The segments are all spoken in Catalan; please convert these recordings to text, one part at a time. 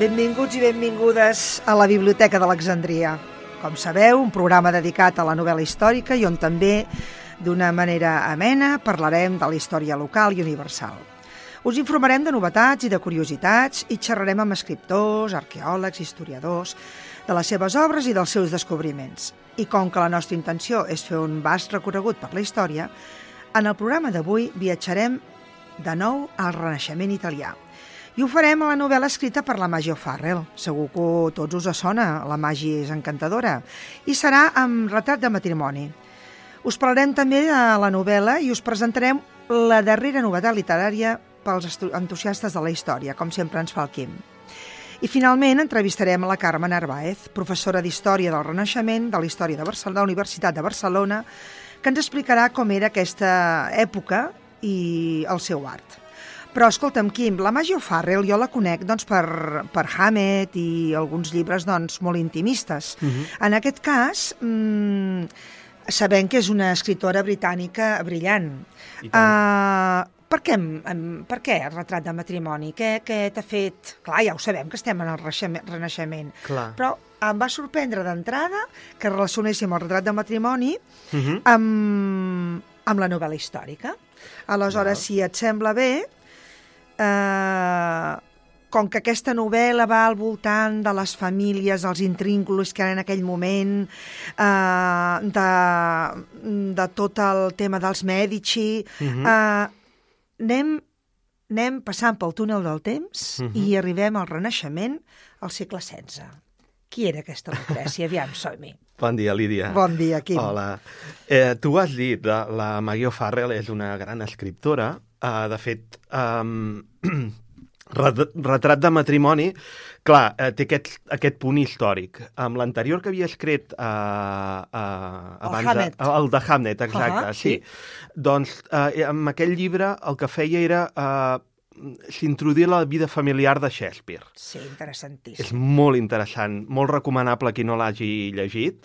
Benvinguts i benvingudes a la Biblioteca d'Alexandria. Com sabeu, un programa dedicat a la novel·la històrica i on també, d'una manera amena, parlarem de la història local i universal. Us informarem de novetats i de curiositats i xerrarem amb escriptors, arqueòlegs, historiadors, de les seves obres i dels seus descobriments. I com que la nostra intenció és fer un vast recorregut per la història, en el programa d'avui viatjarem de nou al Renaixement italià. I ho farem a la novel·la escrita per la Maggie O'Farrell. Segur que a tots us sona, la Maggie és encantadora. I serà amb Retrat de matrimoni. Us parlarem també de la novel·la i us presentarem la darrera novetat literària pels entusiastes de la història, com sempre ens fa el Quim. I finalment entrevistarem a la Carme Narváez, professora d'Història del Renaixement de la Història de la Universitat de Barcelona, que ens explicarà com era aquesta època i el seu art. Però, escolta'm, Quim, la Maggie O'Farrell jo la conec per Hammett i alguns llibres molt intimistes. En aquest cas, sabem que és una escritora britànica brillant. Per què el retrat de matrimoni? Què t'ha fet? Clar, ja ho sabem que estem en el Renaixement. Clar. Però em va sorprendre d'entrada que relacionéssim el retrat de matrimoni amb la novel·la històrica. Aleshores, si et sembla bé, com que aquesta novel·la va al voltant de les famílies, els intrínculos que eren en aquell moment, de tot el tema dels Mèdici, anem passant pel túnel del temps i arribem al Renaixement al segle XVI. Qui era aquesta Lucrècia? Aviam, som-hi. Bon dia, Lídia. Bon dia, Quim. Hola. Tu has dit, la Maggie O'Farrell és una gran escriptora. De fet, Retrat de matrimoni, clar, té aquest punt històric. Amb l'anterior que havia escrit Hammett. El de Hammett, exacte, sí. Doncs amb aquell llibre el que feia era s'introduir la vida familiar de Shakespeare. Sí, interessantíssim. És molt interessant, molt recomanable qui no l'hagi llegit.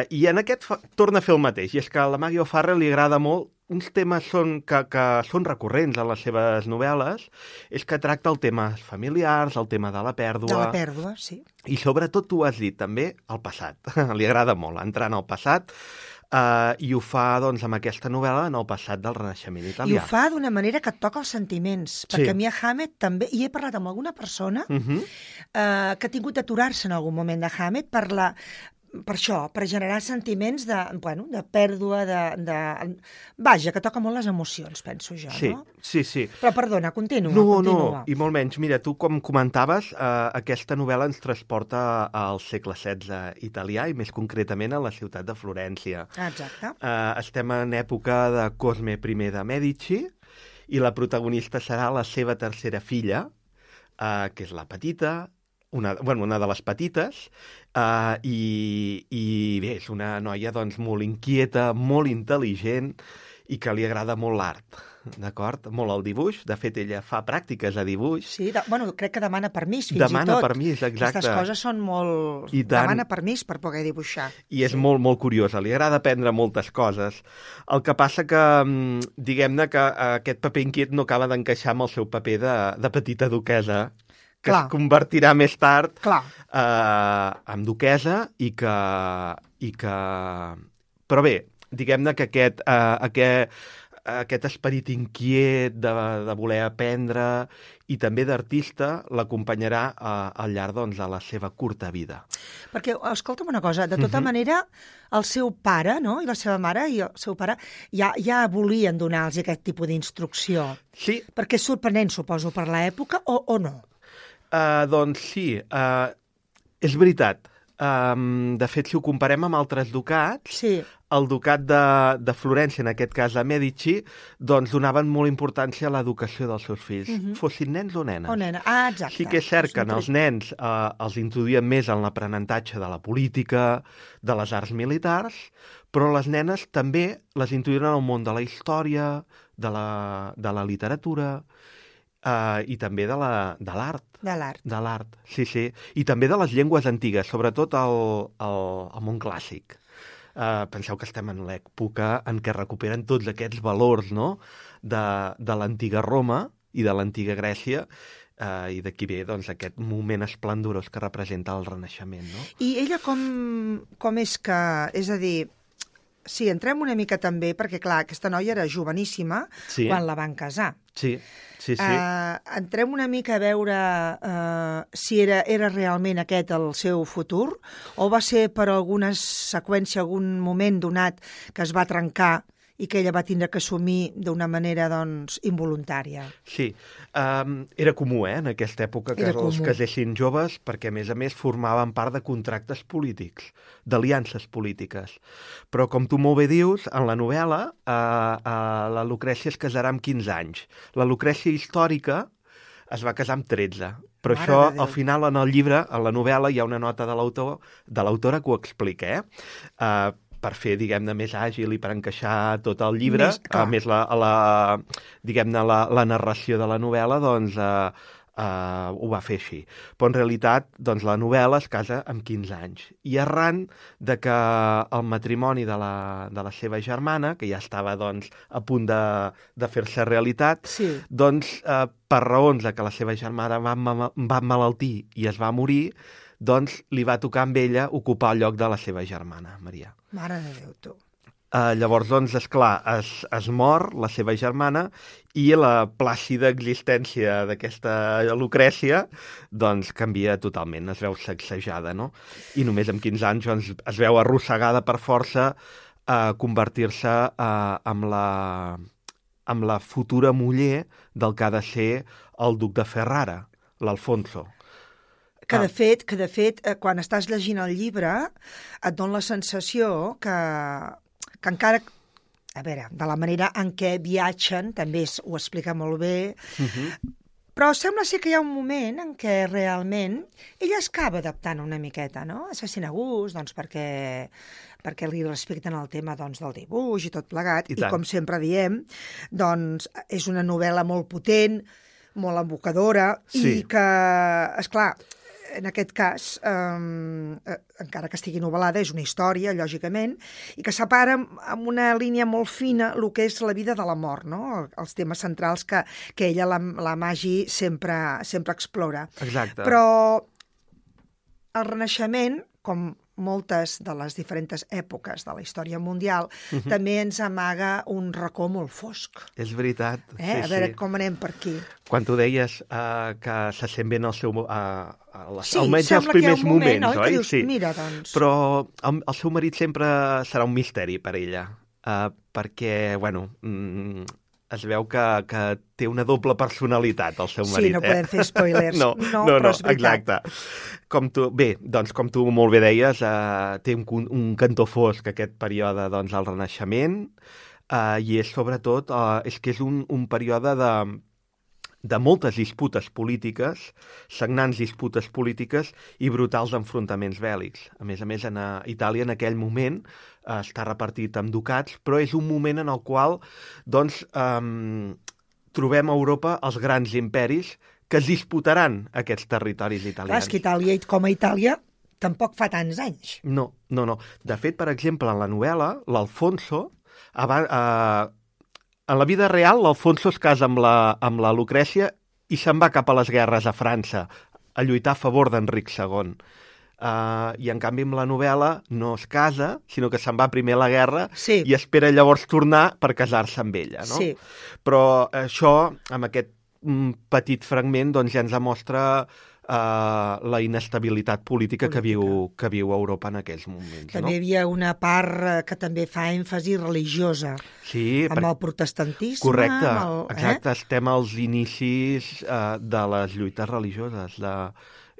I en aquest torna a fer el mateix, i és que a la Maggie O'Farrell li agrada molt uns temes que són recurrents a les seves novel·les, és que tracta el tema familiars, el tema de la pèrdua. De la pèrdua, sí. I sobretot, tu has dit també, el passat. Li agrada molt entrar en el passat, i ho fa doncs, amb aquesta novel·la en el passat del Renaixement italià. I ho fa d'una manera que et toca els sentiments, perquè a mi a Hammett també, i he parlat amb alguna persona que ha tingut d'aturar-se en algun moment de Hammett per això, per generar sentiments de pèrdua, Vaja, que toca molt les emocions, penso jo, no? Sí. Però perdona, continua. No, i molt menys. Mira, tu com comentaves, aquesta novel·la ens transporta al segle XVI italià i més concretament a la ciutat de Florència. Exacte. Estem en època de Cosme I de Mèdici i la protagonista serà la seva tercera filla, que és la petita, una de les petites, i bé, és una noia doncs, molt inquieta, molt intel·ligent i que li agrada molt l'art, d'acord? Molt el dibuix. De fet, ella fa pràctiques a dibuix. Sí, crec que demana permís, fins i tot. Demana permís, exacte. Aquestes coses són molt... Demana permís per poder dibuixar. I és molt, molt curiosa. Li agrada aprendre moltes coses. El que passa que, diguem-ne, que aquest paper inquiet no acaba d'encaixar amb el seu paper de petita duquesa, que es convertirà més tard en duquesa i que... Però bé, diguem-ne que aquest esperit inquiet de voler aprendre i també d'artista l'acompanyarà al llarg doncs, de la seva curta vida. Perquè, escolta'm una cosa, de tota manera, el seu pare, no?, i la seva mare i el seu pare ja volien donar-los aquest tipus d'instrucció. Sí. Perquè és sorprenent, suposo, per l'època, o no? Doncs sí, és veritat. De fet, si ho comparem amb altres ducats, el ducat de Florència, en aquest cas de Mèdici, doncs donaven molt importància a l'educació dels seus fills, fossin nens o nenes. O nena, exacte. Sí que és cert que els nens els introduïen més en l'aprenentatge de la política, de les arts militars, però les nenes també les introduïen en el món de la història, de la literatura, i també de l'art. De l'art, sí. I també de les llengües antigues, sobretot el món clàssic. Penseu que estem en l'època en què recuperen tots aquests valors, no?, de l'antiga Roma i de l'antiga Grècia, I d'aquí ve doncs, aquest moment esplendorós que representa el Renaixement, no? I ella com és que... És a dir, sí, entrem una mica també, perquè clar, aquesta noia era joveníssima quan la van casar. Sí. Entrem una mica a veure si era realment aquest el seu futur o va ser per alguna seqüència, algun moment donat que es va trencar i que ella va tindre que assumir d'una manera, doncs, involuntària. Sí, era comú, en aquesta època, que els casessin joves, perquè, a més, formaven part de contractes polítics, d'aliances polítiques. Però, com tu molt bé dius, en la novel·la, la Lucrècia es casarà amb 15 anys. La Lucrècia històrica es va casar amb 13. Però això, al final, en el llibre, en la novel·la, hi ha una nota de l'autora que ho explica, per fer, diguem-ne, més àgil i per encaixar tot el llibre. A més, diguem-ne, la narració de la novel·la, doncs, ho va fer així. Però, en realitat, doncs, la novel·la es casa amb 15 anys. I arran de que el matrimoni de la seva germana, que ja estava, doncs, a punt de fer-se realitat, doncs, per raons de que la seva germana va emmalaltir i es va morir, doncs li va tocar amb ella ocupar el lloc de la seva germana, Maria. Mare de Déu, tu. Llavors, doncs, esclar, es mor la seva germana i la plàcida existència d'aquesta Lucrècia, doncs, canvia totalment, es veu sacsejada, no? I només amb 15 anys doncs, es veu arrossegada per força a convertir-se en la futura muller del que ha de ser el duc de Ferrara, l'Alfonso. Que de fet, quan estàs llegint el llibre, et dona la sensació que encara, a veure, de la manera en què viatgen, també ho explica molt bé, però sembla ser que hi ha un moment en què realment ella es acaba adaptant una miqueta, no? Se sent a gust, doncs, perquè li respecten el tema, doncs, del dibuix i tot plegat, i com sempre diem, doncs, és una novel·la molt potent, molt evocadora, i que, esclar, en aquest cas, encara que estigui novel·lada, és una història, lògicament, i que separa amb una línia molt fina el que és la vida de la mort, no? Els temes centrals que ella, la Maggie, sempre explora. Exacte. Però el Renaixement, com moltes de les diferents èpoques de la història mundial, també ens amaga un racó molt fosc. És veritat. A veure com anem per aquí. Quan tu deies que se sent bé en el seu... almenys els primers moments, oi? Dius, mira, doncs... Però el seu marit sempre serà un misteri per ella, perquè, bueno, es veu que té una doble personalitat, el seu marit. Sí, no podem fer spoilers. No, però és veritat. Exacte. Com tu molt bé deies, té un cantó fosc aquest període, doncs, al Renaixement, i és sobretot, és que és un període de moltes disputes polítiques, sagnants disputes polítiques i brutals enfrontaments bèl·lics. A més, en Itàlia en aquell moment està repartit amb ducats, però és un moment en el qual doncs, trobem a Europa els grans imperis que es disputaran aquests territoris italians. Clar, és que Itàlia, com a Itàlia, tampoc fa tants anys. No. De fet, per exemple, en la novel·la, l'Alfonso... En la vida real, l'Alfonso es casa amb la Lucrècia i se'n va cap a les guerres a França, a lluitar a favor d'Enric II. I, en canvi, amb la novel·la no es casa, sinó que se'n va primer a la guerra i espera llavors tornar per casar-se amb ella. No? Sí. Però això, amb aquest petit fragment, doncs ja ens demostra la inestabilitat política que viu Europa en aquells moments. També hi havia una part que també fa èmfasi religiosa, amb el protestantisme. Correcte, exacte. Estem als inicis de les lluites religioses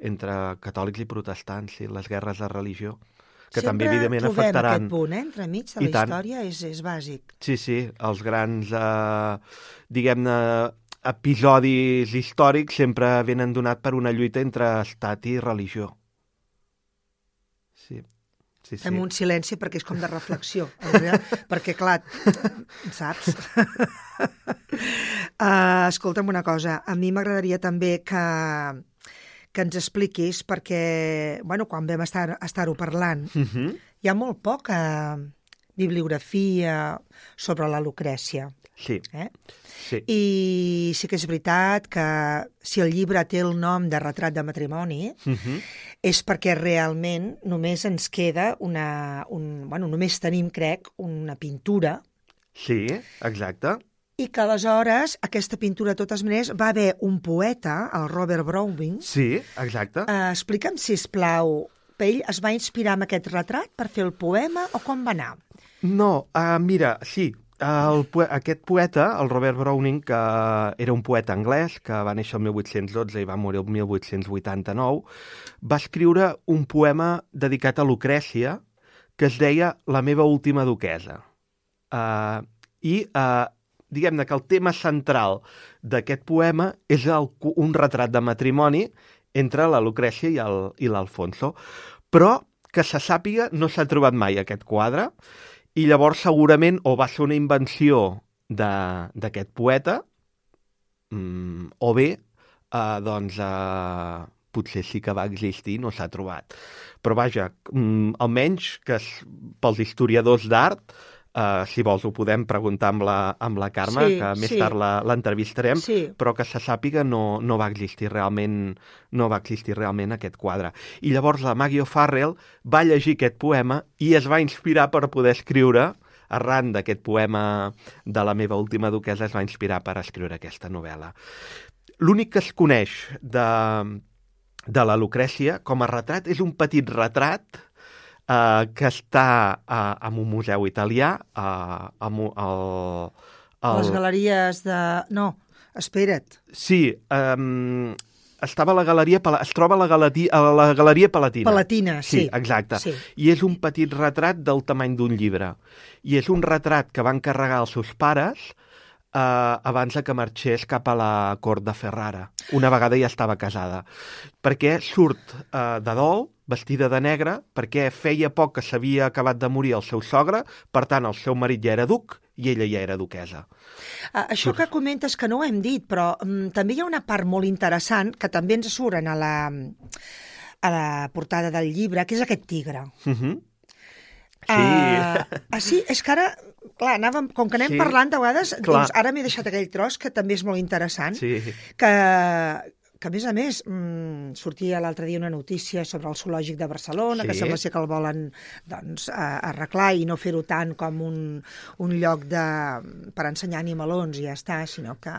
entre catòlics i protestants, les guerres de religió, que també, evidentment, afectaran... Sempre trobem aquest punt, entremig de la història, és bàsic. Sí, els grans, diguem-ne, episodis històrics sempre venen donat per una lluita entre estat i religió. Sí. Fem un silenci perquè és com de reflexió, perquè, clar, saps? Escolta'm una cosa, a mi m'agradaria també que ens expliquis, perquè, bueno, quan vam estar-ho parlant, hi ha molt poca bibliografia sobre la Lucrècia. Sí. Sí. I sí que és veritat que si el llibre té el nom de Retrat de matrimoni, és perquè realment només ens queda només tenim, crec, una pintura. Sí, exacte. I que aleshores aquesta pintura, de totes maneres, va haver un poeta, el Robert Browning. Sí, exacte. Explica'm, sisplau, ell es va inspirar en aquest retrat per fer el poema o com va anar? No, mira, sí, aquest poeta, el Robert Browning, que era un poeta anglès, que va néixer el 1812 i va morir el 1889, va escriure un poema dedicat a Lucrècia que es deia La meva última duquessa. Diguem-ne que el tema central d'aquest poema és un retrat de matrimoni entre la Lucrècia i l'Alfonso. Però, que se sàpiga, no s'ha trobat mai aquest quadre, i llavors segurament o va ser una invenció d'aquest poeta, o bé, potser sí que va existir i no s'ha trobat. Però vaja, almenys que pels historiadors d'art, si vols ho podem preguntar amb la Carme, que més tard l'entrevistarem, però que se sàpiga no va existir realment aquest quadre. I llavors la Maggie O'Farrell va llegir aquest poema i es va inspirar per poder escriure, arran d'aquest poema de La meva última duquessa, es va inspirar per escriure aquesta novel·la. L'únic que es coneix de la Lucrècia com a retrat és un petit retrat que està en un museu italià, a les galeries de... No, espera't. Sí, estava a la galeria... Es troba a la Galeria Palatina. Palatina, sí. Sí, exacte. Sí. I és un petit retrat del tamany d'un llibre. I és un retrat que van encarregar els seus pares abans que marxés cap a la cort de Ferrara. Una vegada ja estava casada. Perquè surt de dol, vestida de negre, perquè feia poc que s'havia acabat de morir el seu sogre, per tant, el seu marit ja era duc i ella ja era duquesa. Això que comentes que no ho hem dit, però també hi ha una part molt interessant que també ens suren a la portada del llibre, que és aquest tigre. Sí, és que ara, clar, com que anem parlant de vegades, doncs ara m'he deixat aquell tros que també és molt interessant, que a més, sortia l'altre dia una notícia sobre el zoològic de Barcelona, que sembla ser que el volen arreglar i no fer-ho tant com un lloc per ensenyar animalons i ja està, sinó que...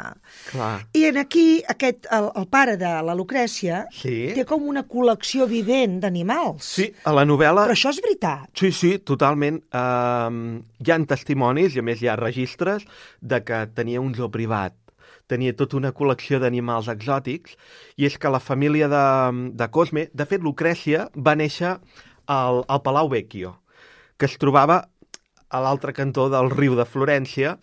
Clar. I aquí el pare de la Lucrècia té com una col·lecció vivent d'animals. Sí, a la novel·la... Però això és veritat. Sí, totalment. Hi ha testimonis, i a més hi ha registres, de que tenia un zoo privat. Tenia tota una col·lecció d'animals exòtics, i és que la família de Cosme, de fet, Lucrècia va néixer al Palau Vecchio, que es trobava a l'altre cantó del riu de Florència,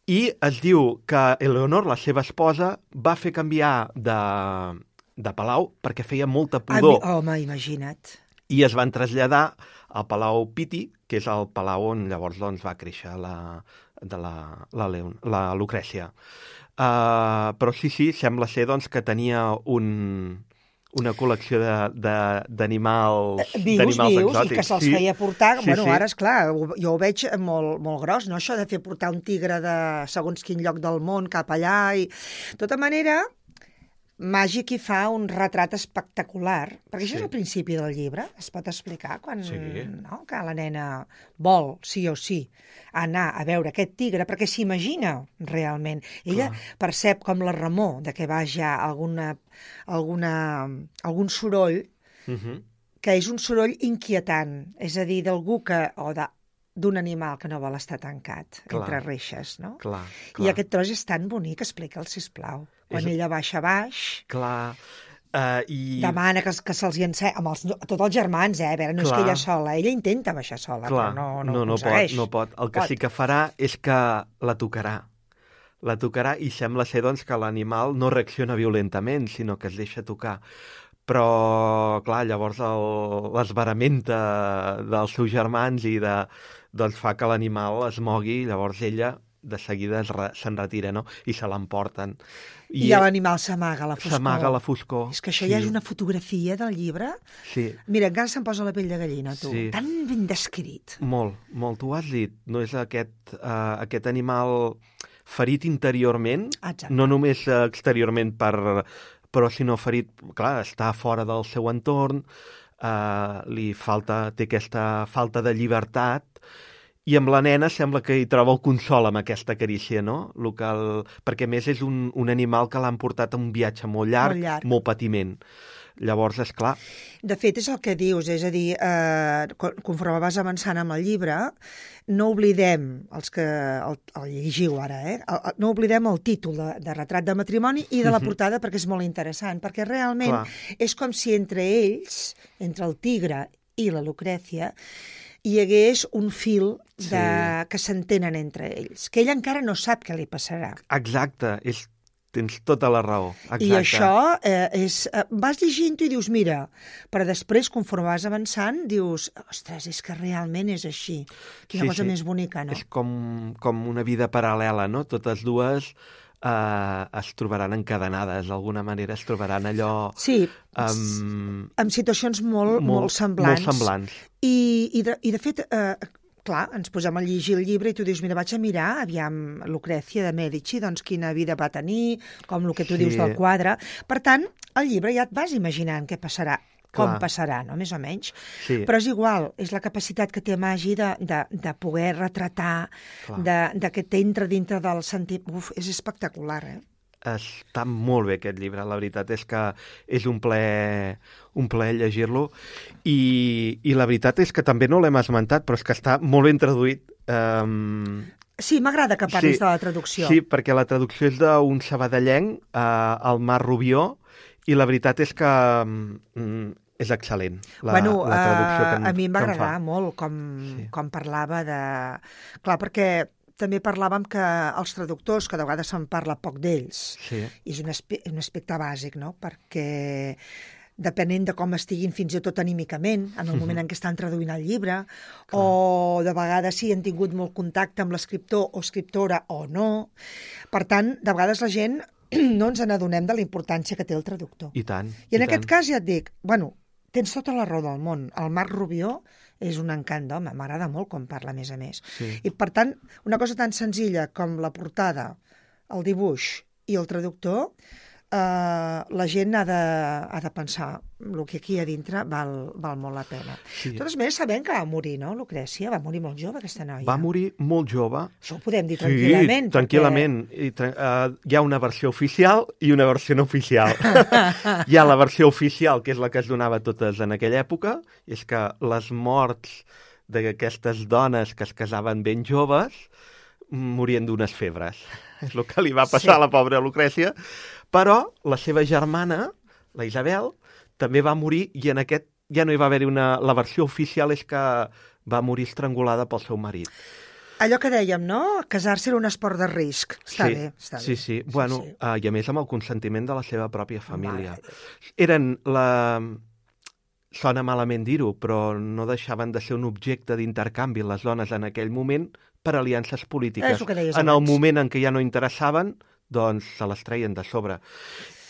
i es diu que Eleonor, la seva esposa, va fer canviar de palau perquè feia molta pudor. Home, imagina't. I es van traslladar al Palau Pitti, que és el palau on llavors va créixer la Lucrècia. Però sí, sembla ser que tenia una col·lecció d'animals exòtics. I que se'ls feia portar. Ara, esclar, jo ho veig molt, molt gros, no? Això de fer portar un tigre de segons quin lloc del món cap allà. De tota manera, Màgic hi fa un retrat espectacular, perquè això és el principi del llibre, es pot explicar quan que la nena vol, sí o sí, anar a veure aquest tigre, perquè s'imagina realment. Ella percep com la remor de que vaja algun soroll, que és un soroll inquietant, és a dir, d'algú d'un animal que no vol estar tancat entre reixes, no? I aquest tros és tan bonic, explica'l, sisplau. Quan ella baixa baix, demana que se'ls hi encén, amb tots els germans, a veure, no és que ella sola, ella intenta baixar sola, però no aconsegueix. No pot. El que sí que farà és que la tocarà. La tocarà i sembla ser que l'animal no reacciona violentament, sinó que es deixa tocar. Però, clar, llavors l'esveramenta dels seus germans i fa que l'animal es mogui, llavors ella de seguida se'n retira, no? I se l'emporten. I l'animal s'amaga a la foscor. S'amaga a la foscor. És que això ja és una fotografia del llibre. Sí. Mira, encara se'm posa la pell de gallina, tu. Sí. Tan ben descrit. Molt, tu ho has dit. No és aquest animal ferit interiorment, Exacte. no només exteriorment però sinó ferit, clar, està fora del seu entorn, té aquesta falta de llibertat, i amb la nena sembla que hi troba el consol amb aquesta carícia, no? Perquè a més és un animal que l'han portat a un viatge molt llarg, molt patiment. Llavors, és clar. De fet, és el que dius, és a dir, conforme vas avançant amb el llibre, no oblidem, els que el llegiu ara, no oblidem el títol de Retrat de matrimoni i de la portada, perquè és molt interessant, perquè realment és com si entre ells, entre el tigre i la Lucrècia, hi hagués un fil que s'entenen entre ells, que ell encara no sap què li passarà. Exacte, tens tota la raó. Exacte. I això vas llegint-ho i dius, mira, però després, conforme vas avançant, dius, ostres, és que realment és així. Quina cosa més bonica, no? És com una vida paral·lela, no? Totes dues es trobaran encadenades, d'alguna manera es trobaran allò... Sí, amb situacions molt semblants. Molt semblants. I de fet, clar, ens posem a llegir el llibre i tu dius, mira, vaig a mirar, aviam, Lucrècia de Mèdici, doncs quina vida va tenir, com el que tu dius del quadre. Per tant, al llibre ja et vas imaginant què passarà, com passarà, no?, més o menys. Sí. Però és igual, és la capacitat que té Magí de poder retratar, de que t'entra dintre del sentit... Uf, és espectacular, Està molt bé aquest llibre, la veritat és que és un plaer llegir-lo i la veritat és que també no l'hem esmentat, però és que està molt ben traduït. Sí, m'agrada que parlis de la traducció. Sí, perquè la traducció és d'un sabadellenc, el Marc Rubió, i la veritat és que és excel·lent, la traducció que a mi em va agradar molt com parlava de... Clar, perquè també parlàvem que els traductors, que de vegades se'n parla poc d'ells, és un aspecte bàsic, no?, perquè depenent de com estiguin fins i tot anímicament, en el moment en què estan traduint el llibre, o de vegades sí han tingut molt contacte amb l'escriptor o escriptora o no. Per tant, de vegades la gent no ens n'adonem de la importància que té el traductor. I tant. I en aquest cas ja et dic, bueno, tens tota la raó del món. El Marc Rubió és un encant d'home, m'agrada molt com parla, a més. Sí. I, per tant, una cosa tan senzilla com la portada, el dibuix i el traductor, la gent ha de pensar el que aquí a dintre val molt la pena. Sí. De totes maneres, sabem que va morir, no, Lucrècia? Va morir molt jove, aquesta noia. Va morir molt jove. Això ho podem dir tranquil·lament. Sí, tranquil·lament. Hi ha una versió oficial i una versió no oficial. Hi ha la versió oficial, que és la que es donava totes en aquella època, és que les morts d'aquestes dones que es casaven ben joves morien d'unes febres. És el que li va passar a la pobra Lucrècia. Però la seva germana, la Isabel, també va morir i en aquest ja no hi va haver-hi la versió oficial, és que va morir estrangulada pel seu marit. Allò que dèiem, no? Casar-se era un esport de risc. Està bé. Sí. Bueno, i a més amb el consentiment de la seva pròpia família. Sona malament dir-ho, però no deixaven de ser un objecte d'intercanvi les dones en aquell moment per aliances polítiques. En el moment en què ja no interessaven, doncs se les treien de sobre.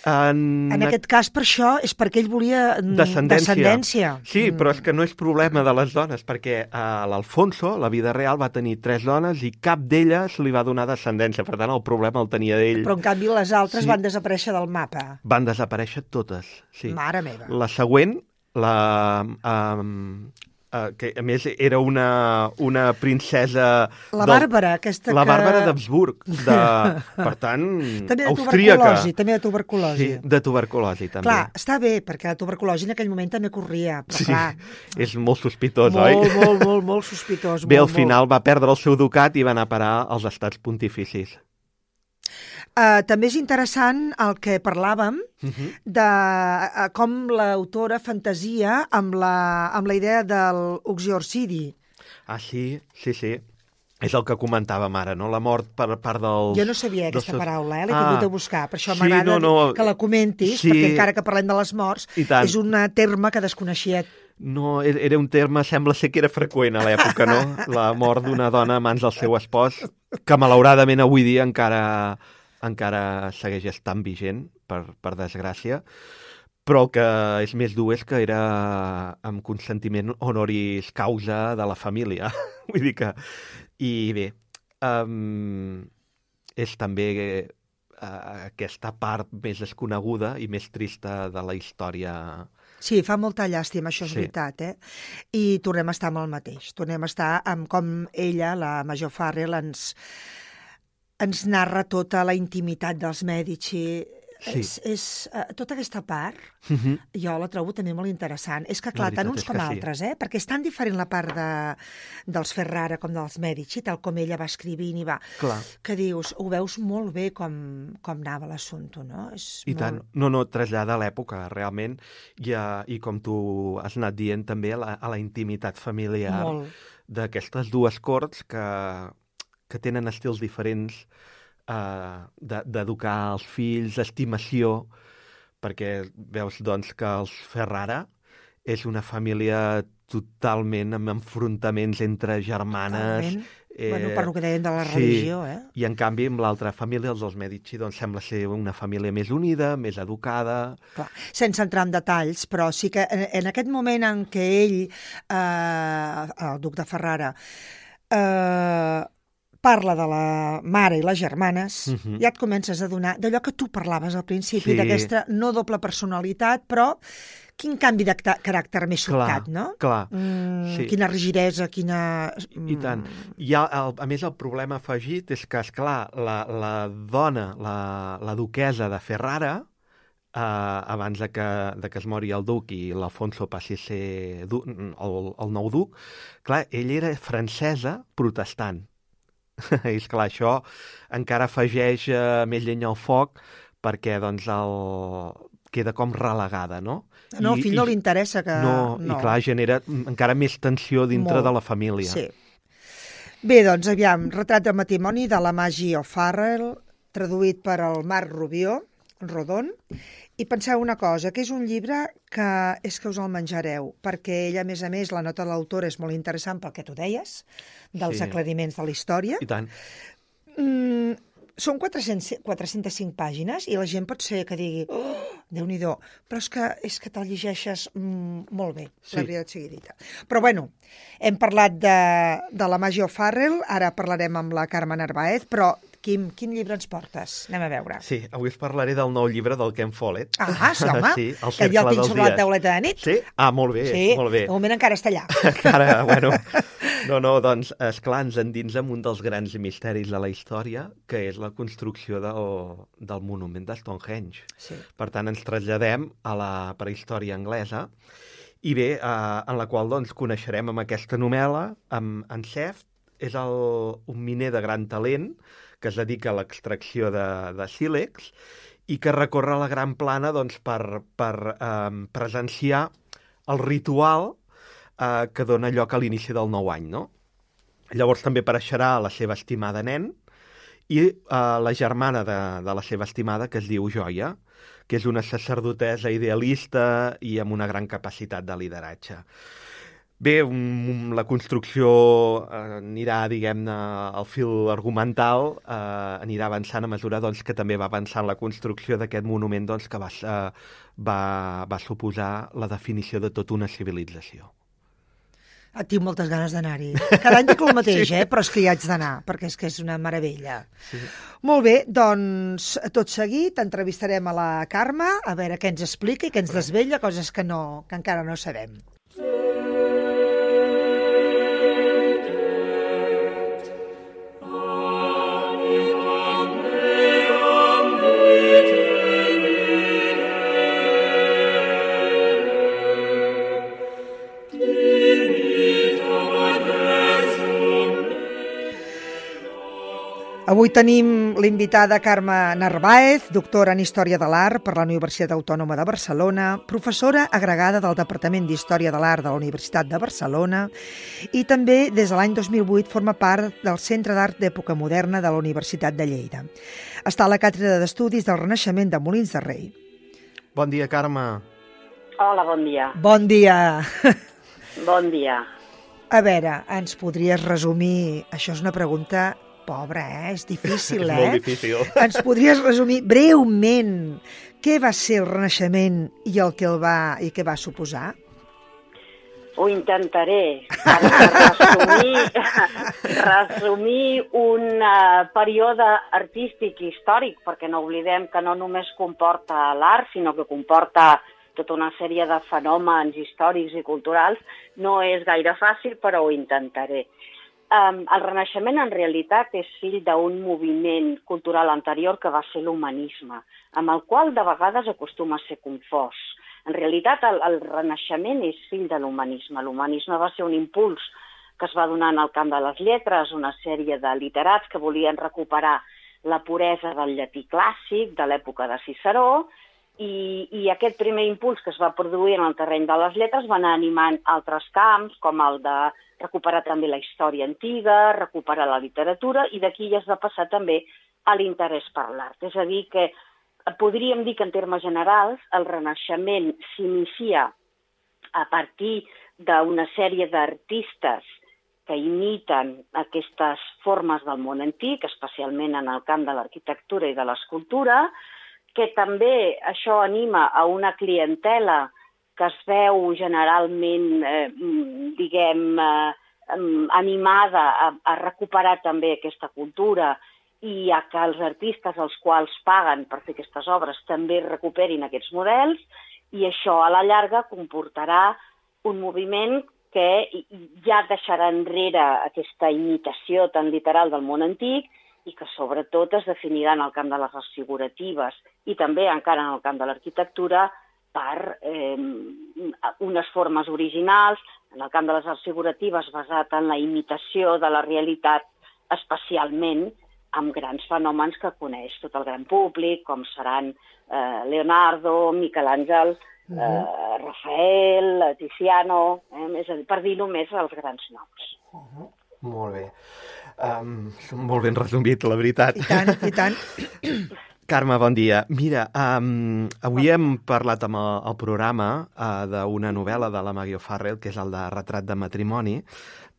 En aquest cas, per això, és perquè ell volia descendència. Sí, però és que no és problema de les dones, perquè l'Alfonso, la vida real, va tenir 3 dones i cap d'elles li va donar descendència. Per tant, el problema el tenia d'ell. Però, en canvi, les altres van desaparèixer del mapa. Van desaparèixer totes, sí. Mare meva. La següent, que a més era una princesa... La Bàrbara, aquesta La Bàrbara d'Habsburg, per tant, austríaca. També de tuberculosi. Sí, de tuberculosi, també. Clar, està bé, perquè la tuberculosi en aquell moment també corria, però clar... És molt sospitós, oi? Molt sospitós. Bé, al final va perdre el seu ducat i va anar a parar als estats pontificis. També és interessant el que parlàvem de com l'autora fantasia amb la idea del uxorcidi. Sí. És el que comentàvem ara, no? La mort per part dels... Jo no sabia aquesta paraula, l'he tingut a buscar, per això m'agrada que la comentis, perquè encara que parlem de les morts, és un terme que desconeixia. No, era un terme, sembla ser que era freqüent a l'època, no? La mort d'una dona a mans del seu espòs, que malauradament avui dia encara segueix estant vigent, per desgràcia, però el que és més dur és que era amb consentiment honoris causa de la família. Vull dir que... I bé, és també aquesta part més desconeguda i més trista de la història. Sí, fa molta llàstima, això és veritat, I tornem a estar amb el mateix. Tornem a estar amb com ella, la Major Farrell, ens narra tota la intimitat dels Mèdici. Sí. És tota aquesta part, jo la trobo també molt interessant. És que, clar, tant uns com altres, perquè és tan diferent la part dels Ferrara com dels Mèdici, tal com ella va escrivint i va... Clar. Que dius, ho veus molt bé com anava l'assumpte, no? Tant. No, trasllada a l'època, realment, i com tu has anat dient també, a la intimitat familiar d'aquestes dues corts que tenen estils diferents d'educar els fills, estimació, perquè veus doncs que els Ferrara és una família totalment amb enfrontaments entre germanes. Bueno, per lo que dèiem de la religió, I en canvi amb l'altra família, els dels Mèdici, doncs sembla ser una família més unida, més educada. Clar, sense entrar en detalls, però sí que en aquest moment en què ell, el duc de Ferrara, parla de la mare i les germanes, ja et comences a adonar d'allò que tu parlaves al principi, d'aquesta no doble personalitat, però quin canvi de caràcter més sobtat, no? Clar, quina rigidesa, quina... I tant. A més, el problema afegit és que, esclar, la dona, la duquesa de Ferrara, abans de que es mori el duc i l'Alfonso passi a ser el nou duc, clar, ella era francesa protestant. I esclar, això encara afegeix més llenya al foc perquè doncs queda com relegada, no? No, al fill no li interessa que... No, i clar, genera encara més tensió dintre de la família. Sí. Bé, doncs, aviam, retrat de matrimoni de la Maggie O'Farrell, traduït per el Marc Rubió, Rodon, i penseu una cosa, que és un llibre que és que us el menjareu, perquè ella, a més, la nota de l'autora és molt interessant pel que tu deies, dels aclariments de la història. I tant. Són 405 pàgines i la gent pot ser que digui Déu-n'hi-do, però és que te'l llegeixes molt bé, la veritat sigui dita. Però bueno, hem parlat de la Maggie O'Farrell, ara parlarem amb la Carme Narváez, però Quim, quin llibre ens portes? Anem a veure. Sí, avui us parlaré del nou llibre del Ken Follett. Sí, home, sí, que ja el tinc sobre la tauleta de nit. Sí? Molt bé, molt bé. De moment encara està allà. Encara, bueno... No, doncs, esclar, ens endins en un dels grans misteris de la història, que és la construcció del monument de Stonehenge. Sí. Per tant, ens traslladem a la prehistòria anglesa, i bé, en la qual doncs, coneixerem amb aquesta novel·la, en Seft, és un miner de gran talent, que es dedica a l'extracció de sílex, i que recorre la Gran Plana doncs, per presenciar el ritual que dona lloc a l'inici del nou any, no? Llavors també apareixerà la seva estimada nen i la germana de la seva estimada, que es diu Joia, que és una sacerdotessa idealista i amb una gran capacitat de lideratge. Bé, la construcció anirà, diguem-ne, el fil argumental anirà avançant a mesura doncs, que també va avançant la construcció d'aquest monument doncs, que va suposar la definició de tota una civilització. Tinc moltes ganes d'anar-hi. Cada any dic el mateix, però és que hi haig d'anar, perquè és que és una meravella. Sí. Molt bé, doncs, tot seguit entrevistarem a la Carme, a veure què ens explica i què ens desvella, coses que encara no sabem. Avui tenim l'invitada Carme Narváez, doctora en Història de l'Art per la Universitat Autònoma de Barcelona, professora agregada del Departament d'Història de l'Art de la Universitat de Barcelona i també des de l'any 2008 forma part del Centre d'Art d'Època Moderna de la Universitat de Lleida. Està a la Càtedra d'Estudis del Renaixement de Molins de Rei. Bon dia, Carme. Hola, bon dia. Bon dia. Bon dia. A veure, ens podries resumir... Això és una pregunta... Pobre, és difícil, És molt difícil. Ens podries resumir breument què va ser el Renaixement i què va suposar? Ho intentaré. Per resumir un període artístic i històric, perquè no oblidem que no només comporta l'art, sinó que comporta tota una sèrie de fenòmens històrics i culturals, no és gaire fàcil, però ho intentaré. El Renaixement, en realitat, és fill d'un moviment cultural anterior que va ser l'humanisme, amb el qual de vegades acostuma a ser confós. En realitat, el Renaixement és fill de l'humanisme. L'humanisme va ser un impuls que es va donar en el camp de les lletres, una sèrie de literats que volien recuperar la puresa del llatí clàssic de l'època de Ciceró, i aquest primer impuls que es va produir en el terreny de les lletres va anar animant altres camps, com el de recuperar també la història antiga, recuperar la literatura, i d'aquí ja es va passar també a l'interès per l'art. És a dir, que podríem dir que en termes generals el Renaixement s'inicia a partir d'una sèrie d'artistes que imiten aquestes formes del món antic, especialment en el camp de l'arquitectura i de l'escultura, que també això anima a una clientela que es veu generalment, animada a recuperar també aquesta cultura i a que els artistes als quals paguen per fer aquestes obres també recuperin aquests models, i això a la llarga comportarà un moviment que ja deixarà enrere aquesta imitació tan literal del món antic i que sobretot es definirà en el camp de les arts figuratives i també encara en el camp de l'arquitectura per unes formes originals, en el camp de les arts figuratives basat en la imitació de la realitat, especialment amb grans fenòmens que coneix tot el gran públic, com seran Leonardo, Miquel Àngel, Rafael, Tiziano, és a dir, per dir només els grans noms. Molt bé. Molt ben resumit, la veritat. I tant, i tant. Carme, bon dia. Mira, avui hem parlat amb el programa d'una novel·la de la Maggie O'Farrell, que és el de Retrat de matrimoni.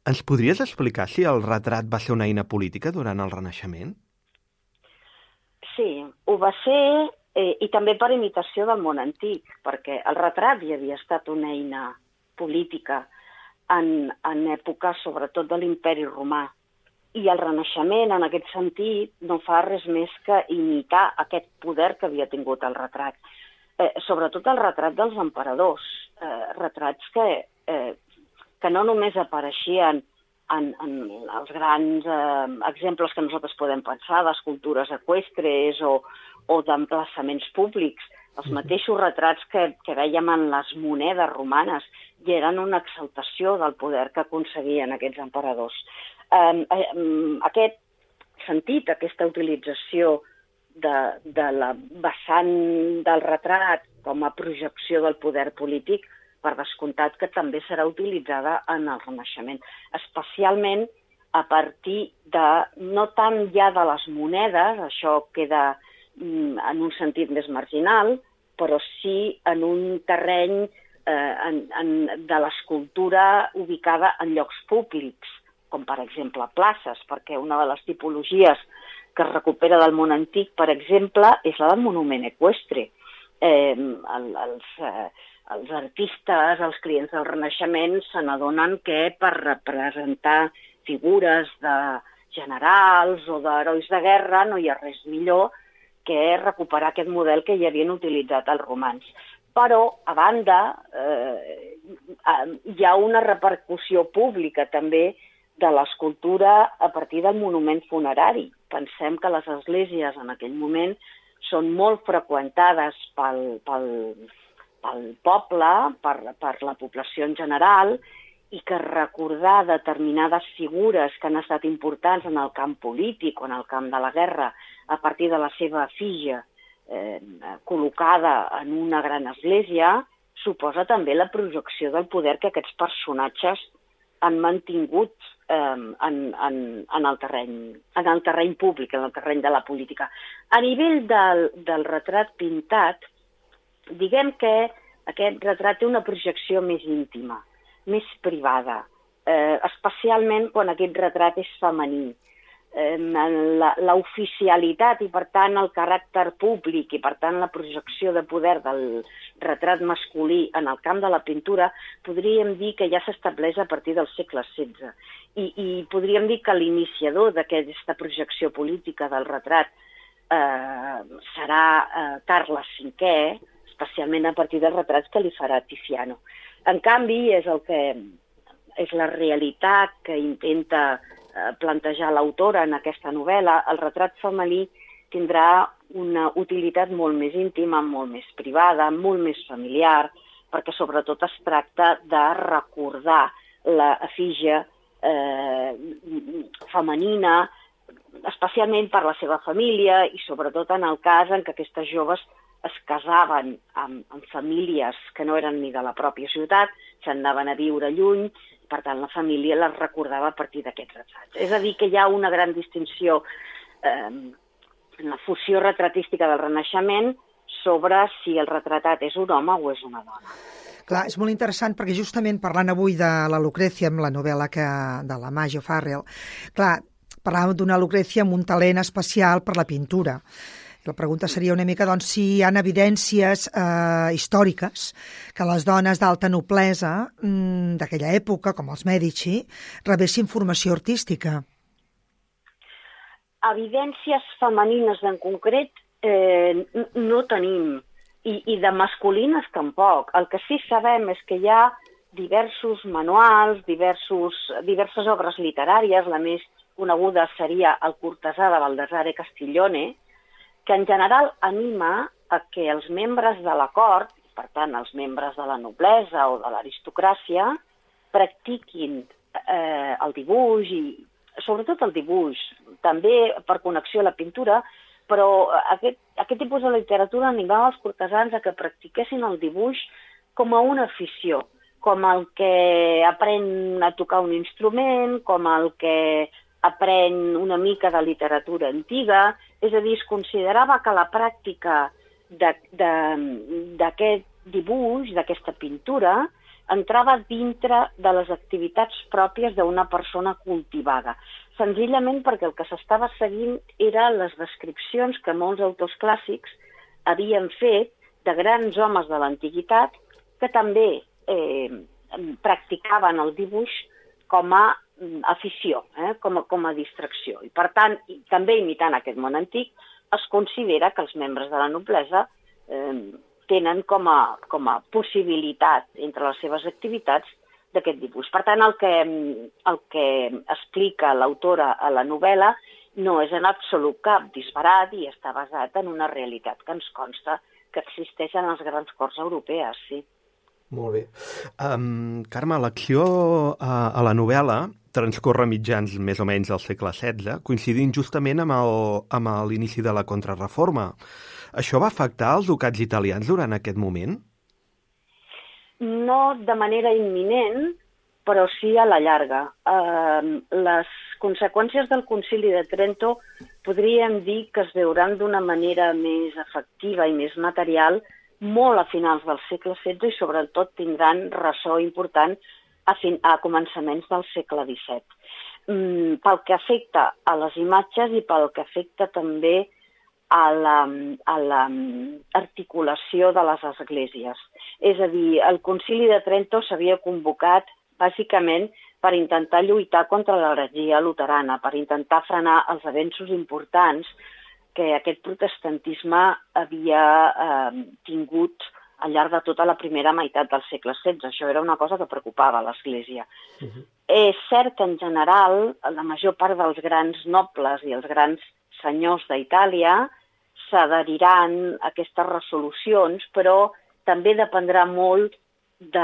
Ens podries explicar si el retrat va ser una eina política durant el Renaixement? Sí, ho va ser, i també per imitació del món antic, perquè el retrat ja havia estat una eina política en època, sobretot, de l'Imperi Romà. I el Renaixement, en aquest sentit, no fa res més que imitar aquest poder que havia tingut el retrat. Sobretot el retrat dels emperadors. Retrats que no només apareixien en els grans exemples que nosaltres podem pensar, d'escultures eqüestres o d'emplaçaments públics, els mateixos retrats que vèiem en les monedes romanes i eren una exaltació del poder que aconseguien aquests emperadors. Aquest sentit, aquesta utilització de la vessant del retrat com a projecció del poder polític, per descomptat que també serà utilitzada en el Renaixement, especialment a partir de, no tant ja de les monedes, això queda en un sentit més marginal, però sí en un terreny de l'escultura ubicada en llocs públics, com per exemple places, perquè una de les tipologies que es recupera del món antic, per exemple, és la del monument eqüestre. Els artistes, els clients del Renaixement, se n'adonen que per representar figures de generals o d'herois de guerra no hi ha res millor que recuperar aquest model que ja havien utilitzat els romans. Però, a banda, hi ha una repercussió pública també de l'escultura a partir del monument funerari. Pensem que les esglésies en aquell moment són molt freqüentades pel poble, per la població en general, i que recordar determinades figures que han estat importants en el camp polític o en el camp de la guerra a partir de la seva efígie col·locada en una gran església suposa també la projecció del poder que aquests personatges han mantingut en el terreny públic, en el terreny de la política. A nivell del retrat pintat, diguem que aquest retrat té una projecció més íntima, més privada, especialment quan aquest retrat és femení. l'oficialitat i, per tant, el caràcter públic i, per tant, la projecció de poder del retrat masculí en el camp de la pintura, podríem dir que ja s'estableix a partir del segle XVI. I podríem dir que l'iniciador d'aquesta projecció política del retrat serà Carles V, especialment a partir dels retrats que li farà Tiziano. En canvi, és la realitat que intenta plantejar l'autora en aquesta novel·la. El retrat femení tindrà una utilitat molt més íntima, molt més privada, molt més familiar, perquè sobretot es tracta de recordar l'efígie femenina, especialment per la seva família i sobretot en el cas en què aquestes joves es casaven amb famílies que no eren ni de la pròpia ciutat, se'n anaven a viure lluny, per tant la família les recordava a partir d'aquests retrats. És a dir, que hi ha una gran distinció en la fusió retratística del Renaixement sobre si el retratat és un home o és una dona. Clar, és molt interessant perquè justament parlant avui de la Lucrècia, amb la novel·la de la Maggie O'Farrell, clar, parlàvem d'una Lucrècia amb un talent especial per la pintura. La pregunta seria una mica doncs, si hi ha evidències històriques que les dones d'alta noblesa d'aquella època, com els Mèdici, rebessin formació artística. Evidències femenines en concret no tenim, i de masculines tampoc. El que sí sabem és que hi ha diversos manuals, diverses obres literàries, la més coneguda seria El cortesà de Baldassare Castiglione, que en general anima a que els membres de la cort, per tant els membres de la noblesa o de l'aristocràcia, practiquin el dibuix i sobretot el dibuix, també per connexió a la pintura, però aquest tipus de literatura animava els cortesans a que practiquessin el dibuix com a una afició, com el que aprèn a tocar un instrument, com el que aprèn una mica de literatura antiga, és a dir, es considerava que la pràctica d'aquest dibuix, d'aquesta pintura, entrava dintre de les activitats pròpies d'una persona cultivada, senzillament perquè el que s'estava seguint eren les descripcions que molts autors clàssics havien fet de grans homes de l'antiguitat que també practicaven el dibuix com a afició, com a distracció. I, per tant, també imitant aquest món antic, es considera que els membres de la noblesa tenen com a possibilitat entre les seves activitats d'aquest dibuix. Per tant, el que explica l'autora a la novel·la no és en absolut cap disbarat i està basat en una realitat que ens consta que existeix en les grans corts europees, sí. Molt bé. Carme, l'acció a la novel·la transcorre mitjans més o menys del segle XVI, coincidint justament amb l'inici de la Contrareforma. Això va afectar els ducats italians durant aquest moment? No de manera imminent, però sí a la llarga. Les conseqüències del Concili de Trento podríem dir que es veuran d'una manera més efectiva i més material molt a finals del segle XVI i sobretot tindran ressò important a començaments del segle XVII. Pel que afecta a les imatges i pel que afecta també a l'articulació de les esglésies. És a dir, el Concili de Trento s'havia convocat bàsicament per intentar lluitar contra l'heretgia luterana, per intentar frenar els avenços importants que aquest protestantisme havia tingut al llarg de tota la primera meitat del segle XVI. Això era una cosa que preocupava l'Església. És cert que, en general, la major part dels grans nobles i els grans senyors d'Itàlia s'adheriran a aquestes resolucions, però també dependrà molt de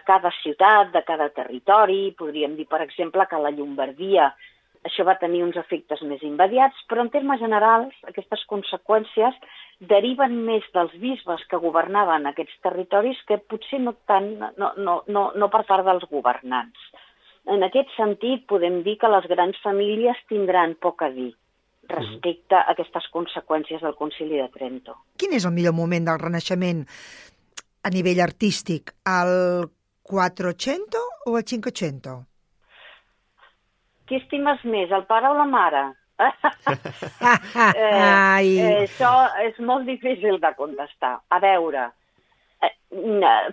cada ciutat, de cada territori. Podríem dir, per exemple, que a la Llombardia això va tenir uns efectes més immediats, però en termes generals aquestes conseqüències deriven més dels bisbes que governaven aquests territoris que potser no per part dels governants. En aquest sentit podem dir que les grans famílies tindran poc a dir respecte a aquestes conseqüències del Concili de Trento. Quin és el millor moment del Renaixement a nivell artístic? El 400 o el 500? qui estimes més, el pare o la mare? Això és molt difícil de contestar. A veure,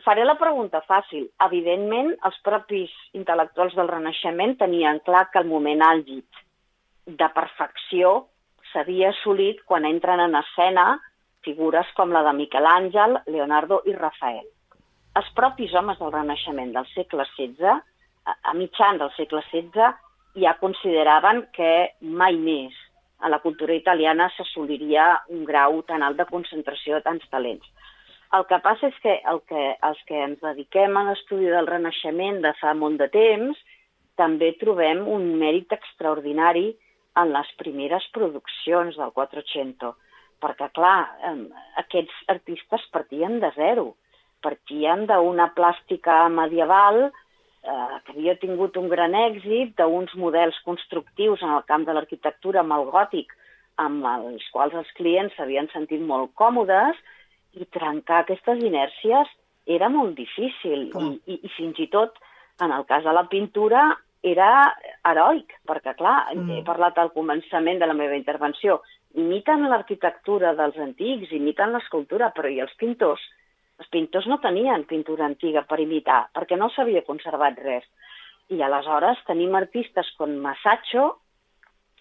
faré la pregunta fàcil. Evidentment, els propis intel·lectuals del Renaixement tenien clar que el moment àlgid de perfecció s'havia assolit quan entren en escena figures com la de Miquel Àngel, Leonardo i Rafael. Els propis homes del Renaixement del segle XVI, a mitjan del segle XVI, ja consideraven que mai més a la cultura italiana s'assoliria un grau tan alt de concentració de tants talents. El que passa és que els que ens dediquem a l'estudi del Renaixement de fa molt de temps també trobem un mèrit extraordinari en les primeres produccions del Quattrocento, perquè, clar, aquests artistes partien de zero, partien d'una plàstica medieval que havia tingut un gran èxit, d'uns models constructius en el camp de l'arquitectura amb el gòtic, amb els quals els clients s'havien sentit molt còmodes, i trencar aquestes inèrcies era molt difícil. I fins i tot, en el cas de la pintura, era heroic, perquè, clar, he parlat al començament de la meva intervenció, imiten l'arquitectura dels antics, imiten l'escultura, però i els pintors? Els pintors no tenien pintura antiga per imitar, perquè no s'havia conservat res. I aleshores tenim artistes com Masaccio,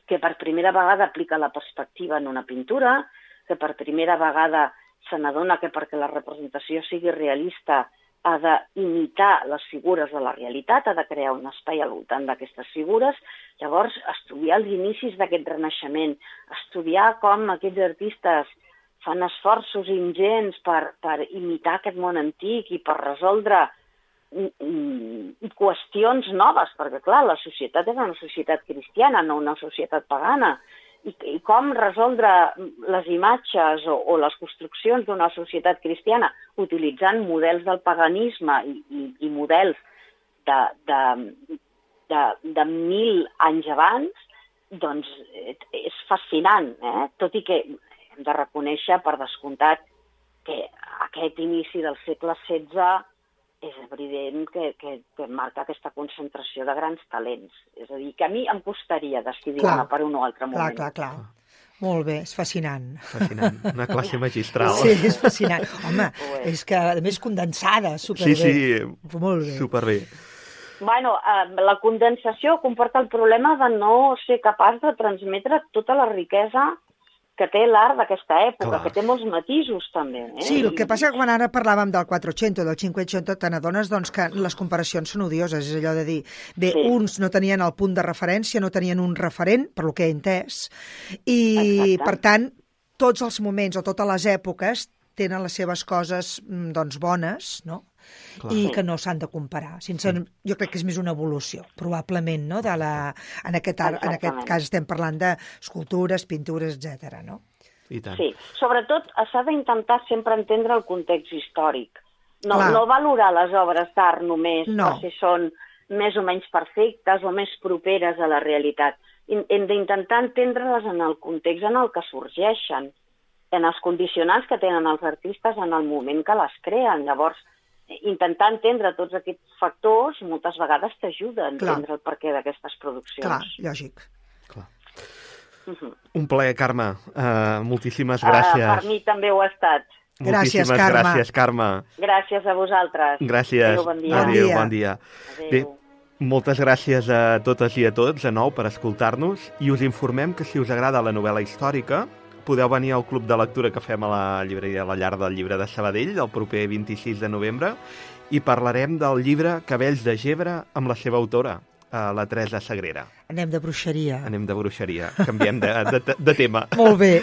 que per primera vegada aplica la perspectiva en una pintura, que per primera vegada se n'adona que perquè la representació sigui realista ha d'imitar les figures de la realitat, ha de crear un espai al voltant d'aquestes figures. Llavors, estudiar els inicis d'aquest renaixement, estudiar com aquests artistes fan esforços ingents per imitar aquest món antic i per resoldre qüestions noves, perquè, clar, la societat era una societat cristiana, no una societat pagana, i com resoldre les imatges o les construccions d'una societat cristiana utilitzant models del paganisme i models de 1000 anys abans, doncs és fascinant, tot i que hem de reconèixer, per descomptat, que aquest inici del segle XVI és evident que marca aquesta concentració de grans talents. És a dir, que a mi em costaria decidir-me per un o altre moment. Clar. Molt bé, és fascinant. Fascinant, una classe magistral. Sí, és fascinant. Home, és que, a més, condensada, superbé. Sí, molt bé. Superbé. Bueno, la condensació comporta el problema de no ser capaç de transmetre tota la riquesa que té l'art d'aquesta època, que té molts matisos també. Sí, el que passa que quan ara parlàvem del Quattrocento, del Cinquecento, te n'adones doncs, que les comparacions són odioses, és allò de dir, uns no tenien el punt de referència, no tenien un referent, per lo que he entès, i per tant, tots els moments o totes les èpoques tenen les seves coses doncs, bones, no? I que no s'han de comparar. Jo crec que és més una evolució, probablement, no? En aquest cas estem parlant d'escultures, pintures, etc. no? I tant. Sí, sobretot s'ha d'intentar sempre entendre el context històric. No valorar les obres d'art només per si són més o menys perfectes o més properes a la realitat. Hem d'intentar entendre-les en el context en el que sorgeixen, en els condicionants que tenen els artistes en el moment que les creen. Llavors, intentar entendre tots aquests factors moltes vegades t'ajuda a entendre el perquè d'aquestes produccions. Clar, lògic. Clar. Un plaer, Carme. Moltíssimes gràcies. Per mi també ho ha estat. Gràcies, Carme. Gràcies, Carme. Gràcies a vosaltres. Gràcies. Adéu, bon dia. Adéu, bon dia. Adéu. Bé, moltes gràcies a totes i a tots, de nou, per escoltar-nos, i us informem que si us agrada la novel·la històrica, podeu venir al club de lectura que fem a la llibreria La Llar del Llibre de Sabadell el proper 26 de novembre i parlarem del llibre Cabells de Gebre amb la seva autora, la Teresa Sagrera. Anem de bruixeria. Canviem de tema. Molt bé.